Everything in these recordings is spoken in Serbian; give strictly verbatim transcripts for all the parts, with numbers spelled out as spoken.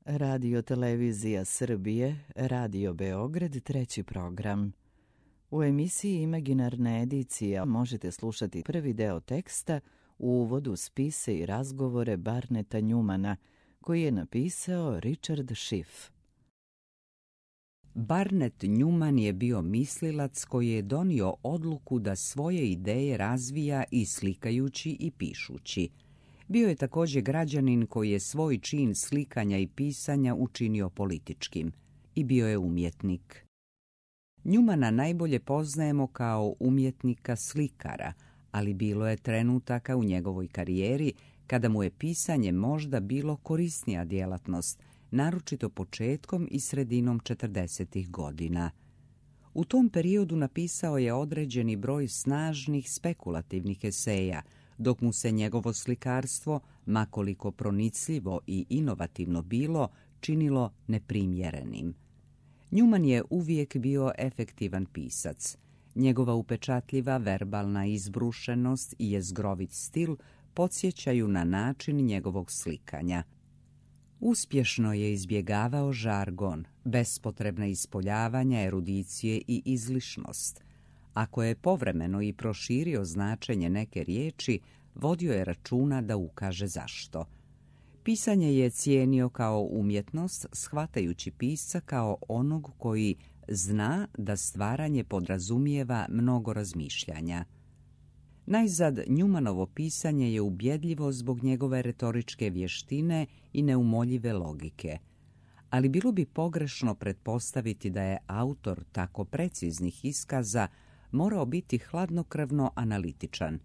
Radio Televizija Srbije, Radio Beograd, treći program. U emisiji Imaginarna edicija možete slušati prvi deo teksta u uvodu spise i razgovore Barneta Njumana, koji je napisao Richard Schiff. Barnet Njuman je bio mislilac koji je donio odluku da svoje ideje razvija i slikajući i pišući. Bio je također građanin koji je svoj čin slikanja i pisanja učinio političkim i bio je umjetnik. Njumana najbolje poznajemo kao umjetnika slikara, ali bilo je trenutaka u njegovoj karijeri kada mu je pisanje možda bilo korisnija djelatnost, naročito početkom i sredinom četrdesetih godina. U tom periodu napisao je određeni broj snažnih spekulativnih eseja, dok mu se njegovo slikarstvo, makoliko pronicljivo i inovativno bilo, činilo neprimjerenim. Njuman je uvijek bio efektivan pisac. Njegova upečatljiva verbalna izbrušenost i jezgrovit stil podsjećaju na način njegovog slikanja. Uspješno je izbjegavao žargon, bespotrebna ispoljavanja, erudicije i izlišnost. Ako je povremeno i proširio značenje neke riječi, vodio je računa da ukaže zašto. Pisanje je cijenio kao umjetnost, shvatajući pisca kao onog koji zna da stvaranje podrazumijeva mnogo razmišljanja. Najzad, Njumanovo pisanje je ubjedljivo zbog njegove retoričke vještine i neumoljive logike. Ali bilo bi pogrešno pretpostaviti da je autor tako preciznih iskaza morao biti hladnokrvno analitičan.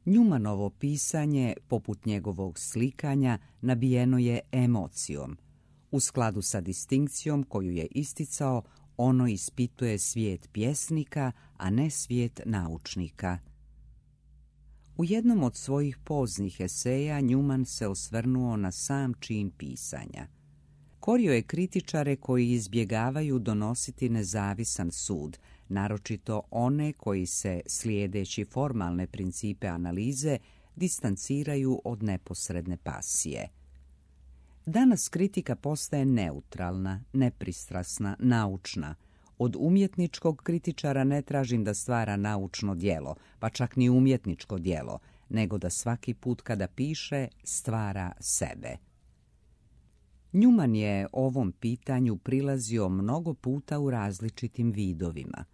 Njumanovo pisanje, poput njegovog slikanja, nabijeno je emocijom. U skladu sa distinkcijom koju je isticao, ono ispituje svijet pjesnika, a ne svijet naučnika. U jednom od svojih poznih eseja Njuman se osvrnuo na sam čin pisanja. Korio je kritičare koji izbjegavaju donositi nezavisan sud, naročito one koji se, slijedeći formalne principe analize, distanciraju od neposredne pasije. Danas kritika postaje neutralna, nepristrasna, naučna. Od umjetničkog kritičara ne tražim da stvara naučno djelo, pa čak ni umjetničko djelo, nego da svaki put kada piše stvara sebe. Njuman je ovom pitanju prilazio mnogo puta u različitim vidovima.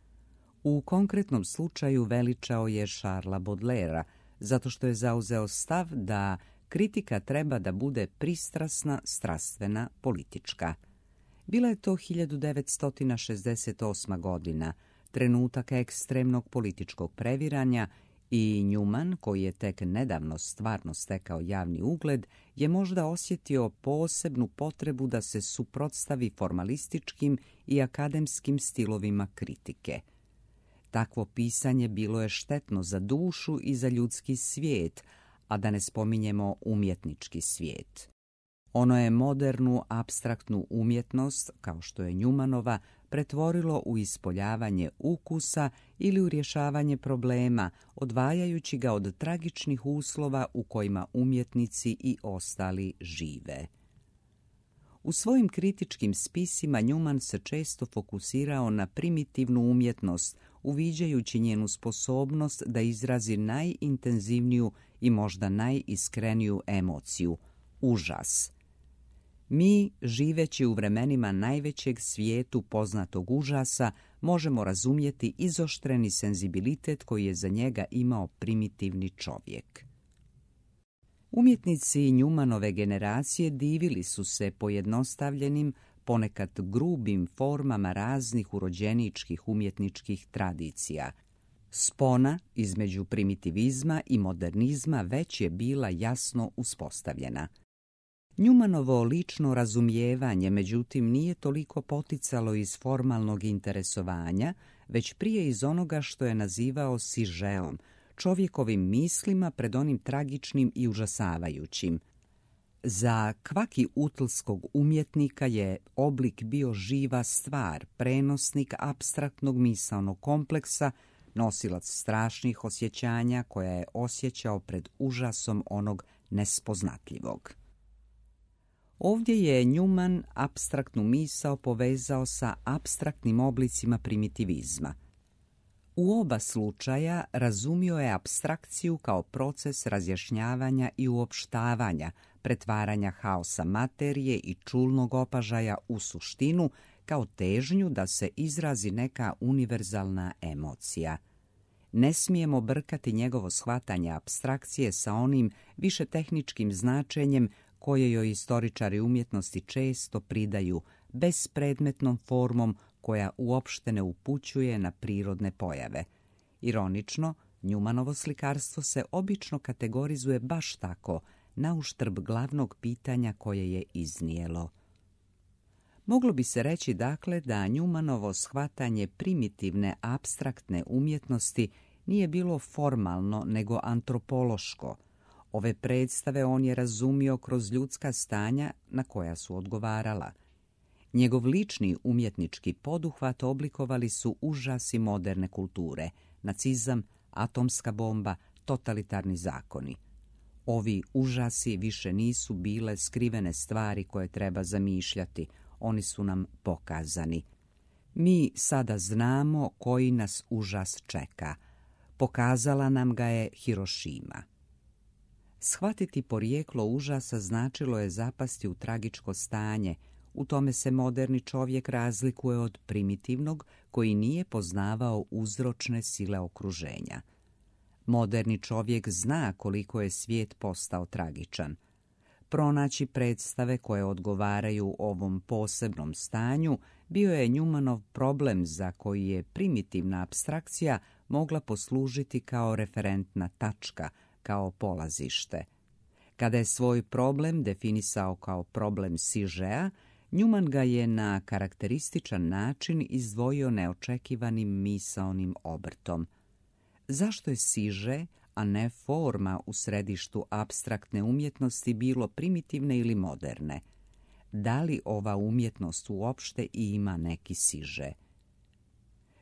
U konkretnom slučaju veličao je Charlesa Baudelairea, zato što je zauzeo stav da kritika treba da bude pristrasna, strastvena, politička. Bila je to hiljadu devetsto šezdeset osma. godina, trenutak ekstremnog političkog previranja, i Njuman, koji je tek nedavno stvarno stekao javni ugled, je možda osjetio posebnu potrebu da se suprotstavi formalističkim i akademskim stilovima kritike. Takvo pisanje bilo je štetno za dušu i za ljudski svijet, a da ne spominjemo umjetnički svijet. Ono je modernu, apstraktnu umjetnost, kao što je Njumanova, pretvorilo u ispoljavanje ukusa ili u rješavanje problema, odvajajući ga od tragičnih uslova u kojima umjetnici i ostali žive. U svojim kritičkim spisima Njuman se često fokusirao na primitivnu umjetnost, uviđajući njenu sposobnost da izrazi najintenzivniju i možda najiskreniju emociju – užas. Mi, živeći u vremenima najvećeg svijetu poznatog užasa, možemo razumjeti izoštreni senzibilitet koji je za njega imao primitivni čovjek. Umjetnici Njumanove generacije divili su se pojednostavljenim, ponekad grubim formama raznih urođeničkih umjetničkih tradicija. Spona između primitivizma i modernizma već je bila jasno uspostavljena. Njumanovo lično razumijevanje, međutim, nije toliko poticalo iz formalnog interesovanja, već prije iz onoga što je nazivao sižeom, čovjekovim mislima pred onim tragičnim i užasavajućim. Za kvaki utlskog umjetnika je oblik bio živa stvar, prenosnik apstraktnog misaonog kompleksa, nosilac strašnih osjećanja koja je osjećao pred užasom onog nespoznatljivog. Ovdje je Newman apstraktnu misao povezao sa apstraktnim oblicima primitivizma. U oba slučaja razumio je apstrakciju kao proces razjašnjavanja i uopštavanja, pretvaranja haosa materije i čulnog opažaja u suštinu, kao težnju da se izrazi neka univerzalna emocija. Ne smijemo brkati njegovo shvatanje apstrakcije sa onim više tehničkim značenjem koje joj istoričari umjetnosti često pridaju bespredmetnom formom koja uopšte ne upućuje na prirodne pojave. Ironično, Newmanovo slikarstvo se obično kategorizuje baš tako, na uštrb glavnog pitanja koje je iznijelo. Moglo bi se reći dakle da Newmanovo shvatanje primitivne apstraktne umjetnosti nije bilo formalno nego antropološko. Ove predstave on je razumio kroz ljudska stanja na koja su odgovarala. Njegov lični umjetnički poduhvat oblikovali su užasi moderne kulture, nacizam, atomska bomba, totalitarni zakoni. Ovi užasi više nisu bile skrivene stvari koje treba zamišljati, oni su nam pokazani. Mi sada znamo koji nas užas čeka. Pokazala nam ga je Hirošima. Shvatiti porijeklo užasa značilo je zapasti u tragičko stanje. U tome se moderni čovjek razlikuje od primitivnog koji nije poznavao uzročne sile okruženja. Moderni čovjek zna koliko je svijet postao tragičan. Pronaći predstave koje odgovaraju ovom posebnom stanju bio je Newmanov problem za koji je primitivna apstrakcija mogla poslužiti kao referentna tačka, kao polazište. Kada je svoj problem definisao kao problem Sižea, Newman ga je na karakterističan način izdvojio neočekivanim misaonim obrtom. Zašto je Siže, a ne forma u središtu apstraktne umjetnosti bilo primitivne ili moderne? Da li ova umjetnost uopšte ima neki Siže?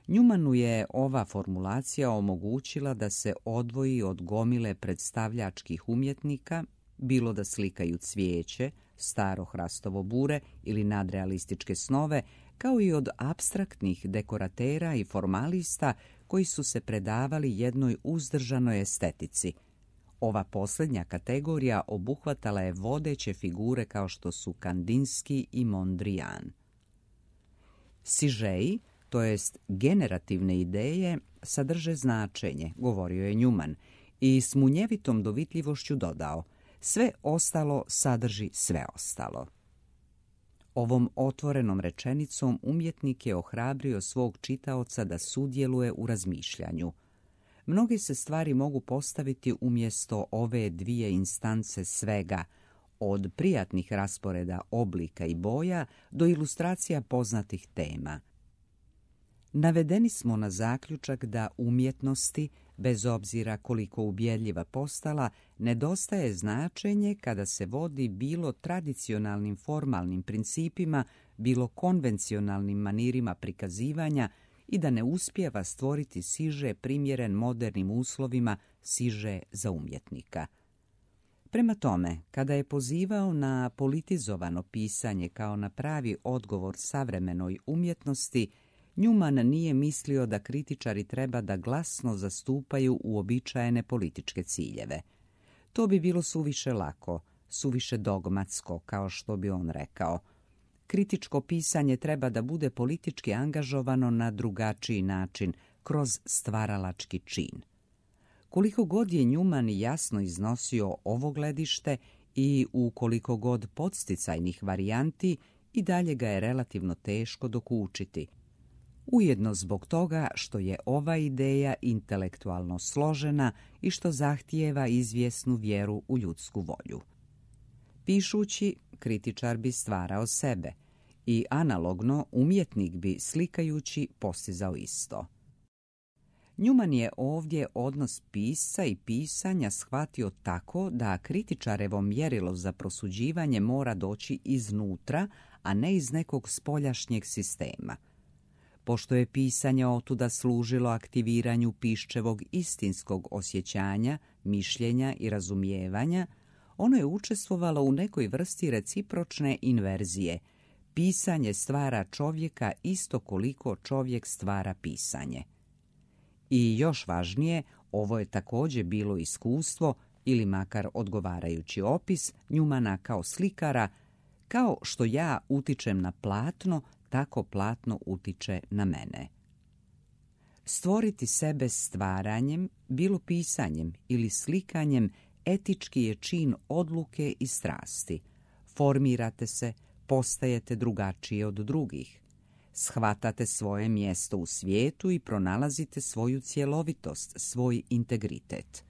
Newmanu je ova formulacija omogućila da se odvoji od gomile predstavljačkih umjetnika, bilo da slikaju cvijeće, staro hrastovo bure ili nadrealističke snove, kao i od apstraktnih dekoratera i formalista koji su se predavali jednoj uzdržanoj estetici. Ova posljednja kategorija obuhvatala je vodeće figure kao što su Kandinski i Mondrian. Sižeji, to jest generativne ideje, sadrže značenje, govorio je Newman, i s munjevitom dovitljivošću dodao: sve ostalo sadrži sve ostalo. Ovom otvorenom rečenicom umjetnik je ohrabrio svog čitaoca da sudjeluje u razmišljanju. Mnoge se stvari mogu postaviti umjesto ove dvije instance svega, od prijatnih rasporeda oblika i boja do ilustracija poznatih tema. Navedeni smo na zaključak da umjetnosti, bez obzira koliko ubjedljiva postala, nedostaje značenje kada se vodi bilo tradicionalnim formalnim principima, bilo konvencionalnim manirima prikazivanja i da ne uspijeva stvoriti siže primjeren modernim uslovima, siže za umjetnika. Prema tome, kada je pozivao na politizovano pisanje kao na pravi odgovor savremenoj umjetnosti, Newman nije mislio da kritičari treba da glasno zastupaju uobičajene političke ciljeve. To bi bilo suviše lako, suviše dogmatsko, kao što bi on rekao. Kritičko pisanje treba da bude politički angažovano na drugačiji način, kroz stvaralački čin. Koliko god je Newman jasno iznosio ovo gledište i u koliko god podsticajnih varijanti, i dalje ga je relativno teško dokučiti. Ujedno zbog toga što je ova ideja intelektualno složena i što zahtijeva izvjesnu vjeru u ljudsku volju. Pišući, kritičar bi stvarao sebe i analogno umjetnik bi slikajući postizao isto. Newman je ovdje odnos pisca i pisanja shvatio tako da kritičarevo mjerilo za prosuđivanje mora doći iznutra, a ne iz nekog spoljašnjeg sistema. Pošto je pisanje otuda služilo aktiviranju piščevog istinskog osjećanja, mišljenja i razumijevanja, ono je učestvovalo u nekoj vrsti recipročne inverzije. Pisanje stvara čovjeka isto koliko čovjek stvara pisanje. I još važnije, ovo je također bilo iskustvo, ili makar odgovarajući opis, Njumana kao slikara, kao što ja utičem na platno, tako platno utiče na mene. Stvoriti sebe stvaranjem, bilo pisanjem ili slikanjem, etički je čin odluke i strasti. Formirate se, postajete drugačije od drugih. Shvatate svoje mjesto u svijetu i pronalazite svoju cjelovitost, svoj integritet.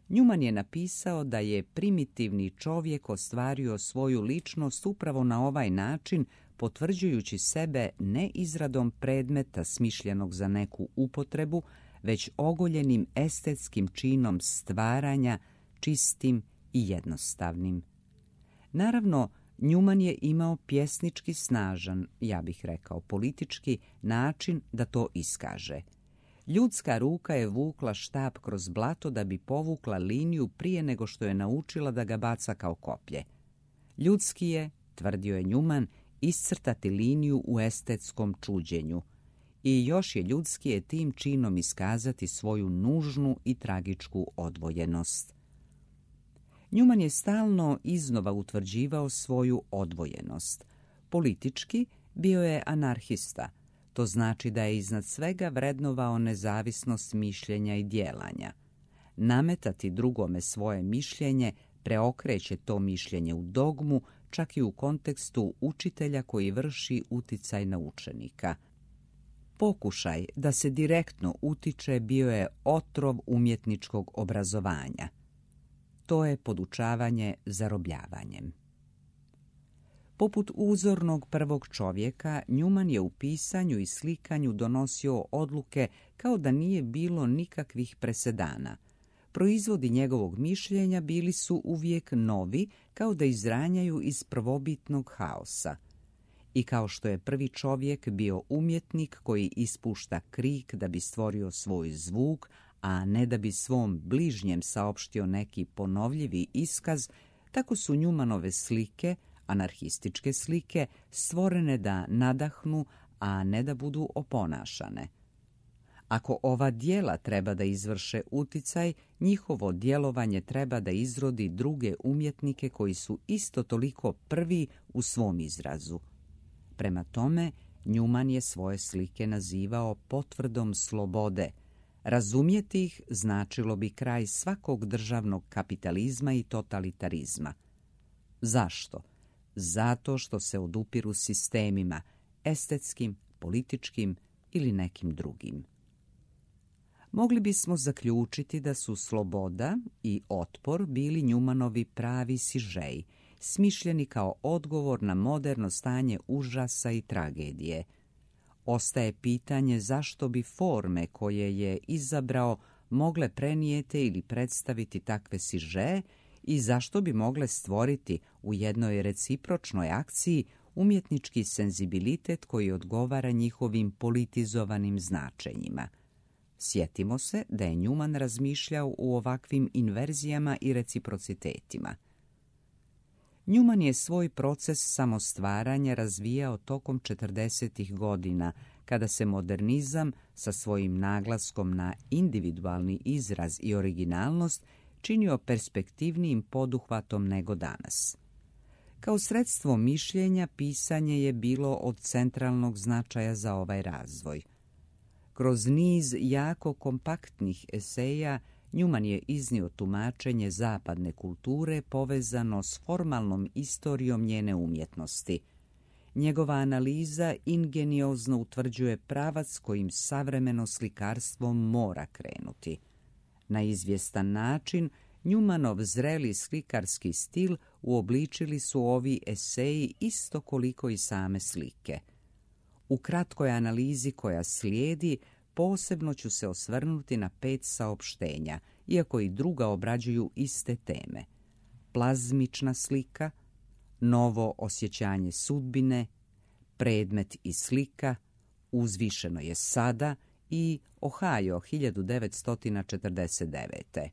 Njuman je napisao da je primitivni čovjek ostvario svoju ličnost upravo na ovaj način, potvrđujući sebe ne izradom predmeta smišljenog za neku upotrebu, već ogoljenim estetskim činom stvaranja, čistim i jednostavnim. Naravno, Njuman je imao pjesnički snažan, ja bih rekao politički, način da to iskaže. Ljudska ruka je vukla štap kroz blato da bi povukla liniju prije nego što je naučila da ga baca kao koplje. Ljudski je, tvrdio je Njuman, iscrtati liniju u estetskom čuđenju. I još je ljudski je tim činom iskazati svoju nužnu i tragičku odvojenost. Njuman je stalno iznova utvrđivao svoju odvojenost. Politički bio je anarhista. To znači da je iznad svega vrednovao nezavisnost mišljenja i djelanja. Nametati drugome svoje mišljenje preokreće to mišljenje u dogmu, čak i u kontekstu učitelja koji vrši uticaj na učenika. Pokušaj da se direktno utiče bio je otrov umjetničkog obrazovanja. To je podučavanje zarobljavanjem. Poput uzornog prvog čovjeka, Njuman je u pisanju i slikanju donosio odluke kao da nije bilo nikakvih presedana. Proizvodi njegovog mišljenja bili su uvijek novi, kao da izranjaju iz prvobitnog haosa. I kao što je prvi čovjek bio umjetnik koji ispušta krik da bi stvorio svoj zvuk, a ne da bi svom bližnjem saopštio neki ponovljivi iskaz, tako su Njumanove slike, anarhističke slike, stvorene da nadahnu, a ne da budu oponašane. Ako ova djela treba da izvrše uticaj, njihovo djelovanje treba da izrodi druge umjetnike koji su isto toliko prvi u svom izrazu. Prema tome, Njuman je svoje slike nazivao potvrdom slobode. Razumjeti ih značilo bi kraj svakog državnog kapitalizma i totalitarizma. Zašto? Zato što se odupiru sistemima, estetskim, političkim ili nekim drugim. Mogli bismo zaključiti da su sloboda i otpor bili Njumanovi pravi sižeji, smišljeni kao odgovor na moderno stanje užasa i tragedije. Ostaje pitanje zašto bi forme koje je izabrao mogle prenijeti ili predstaviti takve sižeje i zašto bi mogle stvoriti u jednoj recipročnoj akciji umjetnički senzibilitet koji odgovara njihovim politizovanim značenjima. Sjetimo se da je Njuman razmišljao u ovakvim inverzijama i reciprocitetima. Njuman je svoj proces samostvaranja razvijao tokom četrdesetih godina, kada se modernizam sa svojim naglaskom na individualni izraz i originalnost činio perspektivnijim poduhvatom nego danas. Kao sredstvo mišljenja, pisanje je bilo od centralnog značaja za ovaj razvoj. Kroz niz jako kompaktnih eseja Njuman je iznio tumačenje zapadne kulture povezano s formalnom istorijom njene umjetnosti. Njegova analiza ingeniozno utvrđuje pravac kojim savremeno slikarstvo mora krenuti. Na izvjestan način Njumanov zreli slikarski stil uobličili su ovi eseji isto koliko i same slike. U kratkoj analizi koja slijedi posebno ću se osvrnuti na pet saopštenja, iako i druga obrađuju iste teme. Plazmična slika, novo osjećanje sudbine, predmet i slika, uzvišeno je sada i Ohio hiljadu devetsto četrdeset devete.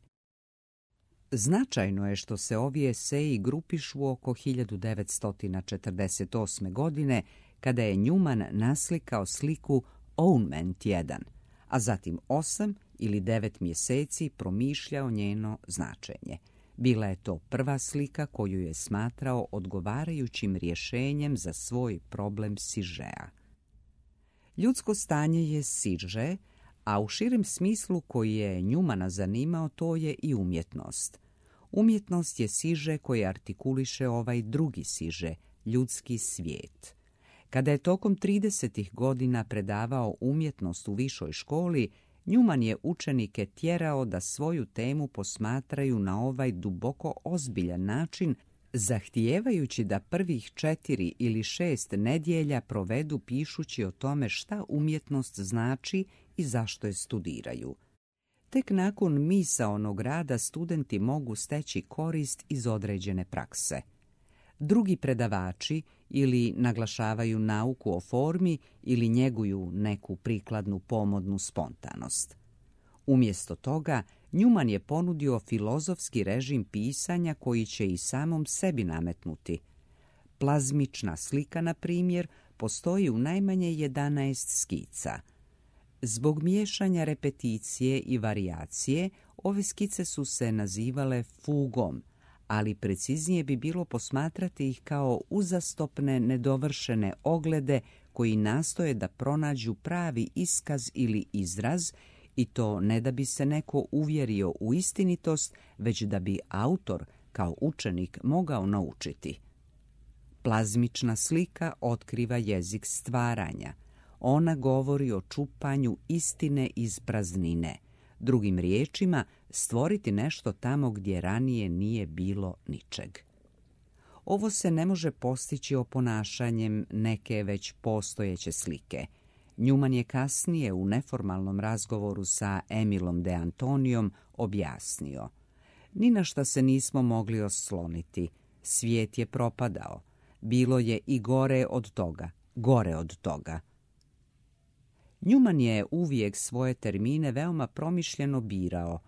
Značajno je što se ovi eseji grupišu oko hiljadu devetsto četrdeset osme. godine, kada je Newman naslikao sliku Ownment jedan, a zatim osam ili devet mjeseci promišljao njeno značenje. Bila je to prva slika koju je smatrao odgovarajućim rješenjem za svoj problem sižea. Ljudsko stanje je siže, a u širem smislu koji je Newmana zanimao, to je i umjetnost. Umjetnost je siže koje artikuliše ovaj drugi siže, ljudski svijet. Kada je tokom tridesetih godina predavao umjetnost u višoj školi, Newman je učenike tjerao da svoju temu posmatraju na ovaj duboko ozbiljan način, zahtijevajući da prvih četiri ili šest nedjelja provedu pišući o tome šta umjetnost znači i zašto je studiraju. Tek nakon misaonog rada studenti mogu steći korist iz određene prakse. Drugi predavači ili naglašavaju nauku o formi ili njeguju neku prikladnu pomodnu spontanost. Umjesto toga, Newman je ponudio filozofski režim pisanja koji će i samom sebi nametnuti. Plazmična slika, na primjer, postoji u najmanje jedanaest skica. Zbog miješanja repeticije i varijacije, ove skice su se nazivale fugom, ali preciznije bi bilo posmatrati ih kao uzastopne, nedovršene oglede koji nastoje da pronađu pravi iskaz ili izraz, i to ne da bi se neko uvjerio u istinitost, već da bi autor kao učenik mogao naučiti. Plazmična slika otkriva jezik stvaranja. Ona govori o čupanju istine iz praznine. Drugim riječima, stvoriti nešto tamo gdje ranije nije bilo ničeg. Ovo se ne može postići oponašanjem neke već postojeće slike. Newman je kasnije u neformalnom razgovoru sa Emilom de Antonijom objasnio: ni na šta se nismo mogli osloniti. Svijet je propadao. Bilo je i gore od toga, gore od toga. Newman je uvijek svoje termine veoma promišljeno birao.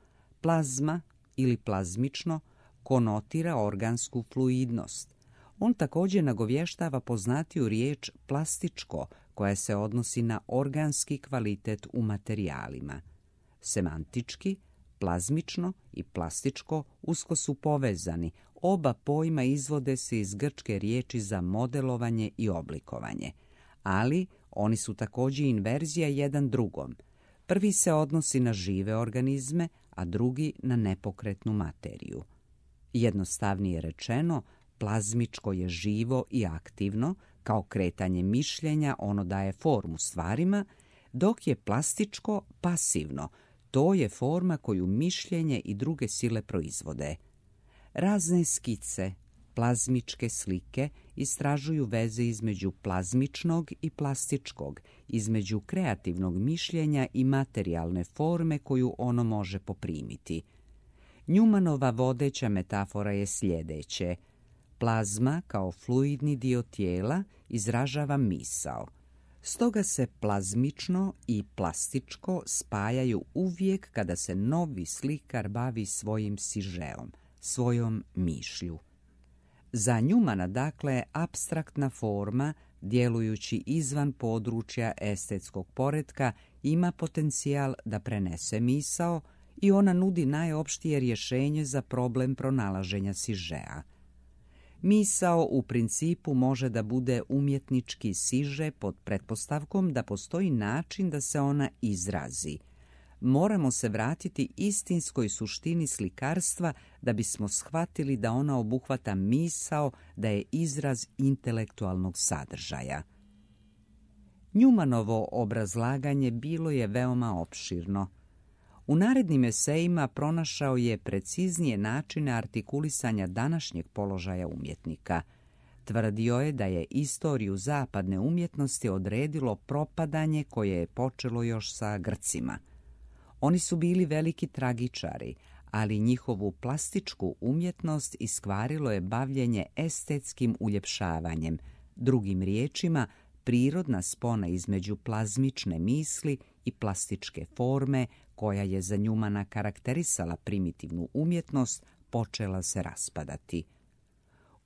Plazma ili plazmično konotira organsku fluidnost. On također nagovještava poznatiju riječ plastičko, koja se odnosi na organski kvalitet u materijalima. Semantički, plazmično i plastičko usko su povezani. Oba pojma izvode se iz grčke riječi za modelovanje i oblikovanje, ali oni su također inverzija jedan drugom. Prvi se odnosi na žive organizme, a drugi na nepokretnu materiju. Jednostavnije rečeno, plazmičko je živo i aktivno, kao kretanje mišljenja, ono daje formu stvarima, dok je plastičko pasivno, to je forma koju mišljenje i druge sile proizvode. Razne skice, plazmičke slike istražuju veze između plazmičnog i plastičkog, između kreativnog mišljenja i materijalne forme koju ono može poprimiti. Newmanova vodeća metafora je sljedeće: plazma kao fluidni dio tijela izražava misao. Stoga se plazmično i plastičko spajaju uvijek kada se novi slikar bavi svojim sižeom, svojom mišlju. Za Newmana, dakle, apstraktna forma, djelujući izvan područja estetskog poretka, ima potencijal da prenese misao i ona nudi najopštije rješenje za problem pronalaženja sižea. Misao u principu može da bude umjetnički siže pod pretpostavkom da postoji način da se ona izrazi. Moramo se vratiti istinskoj suštini slikarstva da bismo shvatili da ona obuhvata misao, da je izraz intelektualnog sadržaja. Newmanovo obrazlaganje bilo je veoma opširno. U narednim esejima pronašao je preciznije načine artikulisanja današnjeg položaja umjetnika. Tvrdio je da je istoriju zapadne umjetnosti odredilo propadanje koje je počelo još sa Grcima. Oni su bili veliki tragičari, ali njihovu plastičku umjetnost iskvarilo je bavljenje estetskim uljepšavanjem, drugim riječima, prirodna spona između plazmične misli i plastičke forme, koja je za Newmana karakterisala primitivnu umjetnost, počela se raspadati.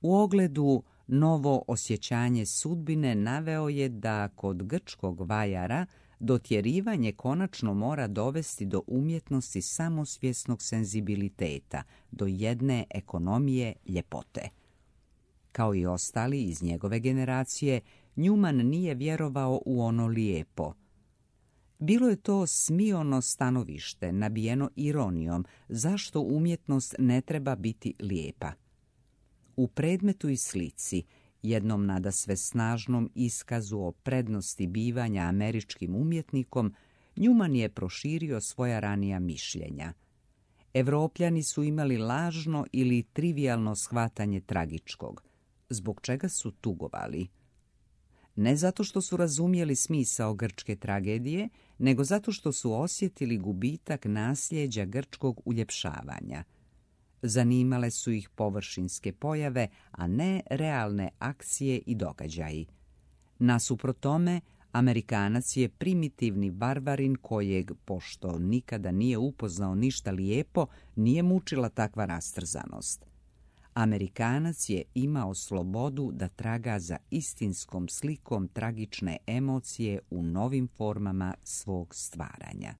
U ogledu novo osjećanje sudbine naveo je da kod grčkog vajara dotjerivanje konačno mora dovesti do umjetnosti samosvjesnog senzibiliteta, do jedne ekonomije ljepote. Kao i ostali iz njegove generacije, Newman nije vjerovao u ono lijepo. Bilo je to smiono stanovište, nabijeno ironijom, zašto umjetnost ne treba biti lijepa. U Predmetu i slici, jednom nadasve snažnom iskazu o prednosti bivanja američkim umjetnikom, Newman je proširio svoja ranija mišljenja. Evropljani su imali lažno ili trivijalno shvatanje tragičkog, zbog čega su tugovali. Ne zato što su razumjeli smisao grčke tragedije, nego zato što su osjetili gubitak nasljeđa grčkog uljepšavanja. Zanimale su ih površinske pojave, a ne realne akcije i događaji. Nasuprot tome, Amerikanac je primitivni barbarin kojeg, pošto nikada nije upoznao ništa lijepo, nije mučila takva rastrzanost. Amerikanac je imao slobodu da traga za istinskom slikom tragične emocije u novim formama svog stvaranja.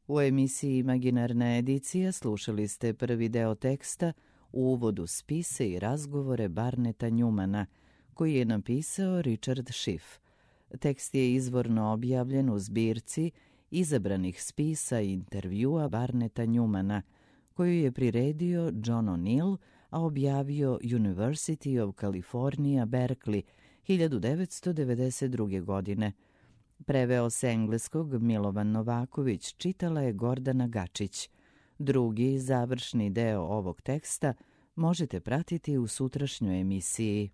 U emisiji Imaginarna edicija slušali ste prvi deo teksta u uvodu spise i razgovore Barneta Newmana, koji je napisao Richard Schiff. Tekst je izvorno objavljen u zbirci izabranih spisa i intervjua Barneta Newmana, koju je priredio John O'Neill, a objavio University of California, Berkeley, hiljadu devetsto devedeset druge. godine. Preveo s engleskog Milovan Novaković, čitala je Gordana Gačić. Drugi, završni deo ovog teksta možete pratiti u sutrašnjoj emisiji.